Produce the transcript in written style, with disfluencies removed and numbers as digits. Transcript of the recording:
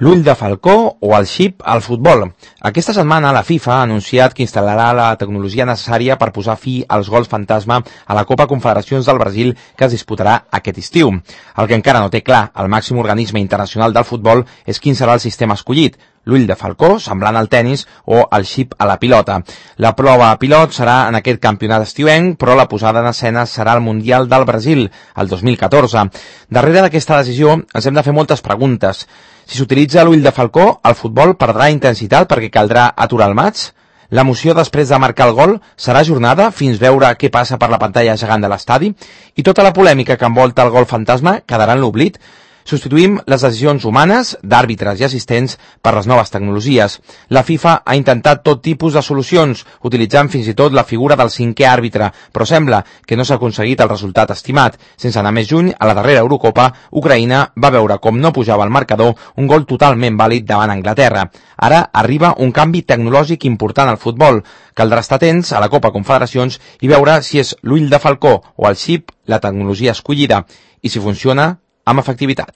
L'ull de falcó o el xip al futbol. Aquesta setmana la FIFA ha anunciat que instal·larà la tecnologia necessària per posar fi als gols fantasma a la Copa Confederacions del Brasil que es disputarà aquest estiu. El que encara no té clar el màxim organisme internacional del futbol és quin serà el sistema escollit, l'ull de falcó, semblant al tennis, o el xip a la pilota. La prova pilot serà en aquest campionat estiuenc, però la posada en escena serà el Mundial del Brasil, el 2014. Darrere d'aquesta decisió ens hem de fer moltes preguntes. Si s'utilitza l'ull de falcó, el futbol perdrà intensitat perquè caldrà aturar el maig? L'emoció després de marcar el gol serà ajornada fins veure què passa per la pantalla gegant de l'estadi? I tota la polèmica que envolta el gol fantasma quedarà en l'oblit? Substituïm les decisions humanes, d'àrbitres i assistents, per les noves tecnologies. La FIFA ha intentat tot tipus de solucions, utilitzant fins i tot la figura del cinquè àrbitre, però sembla que no s'ha aconseguit el resultat estimat. Sense anar més lluny, a la darrera Eurocopa, Ucraïna va veure com no pujava al marcador un gol totalment vàlid davant Anglaterra. Ara arriba un canvi tecnològic important al futbol. Caldrà estar atents a la Copa Confederacions i veure si és l'ull de falcó o el xip la tecnologia escollida i si funciona amb efectivitat.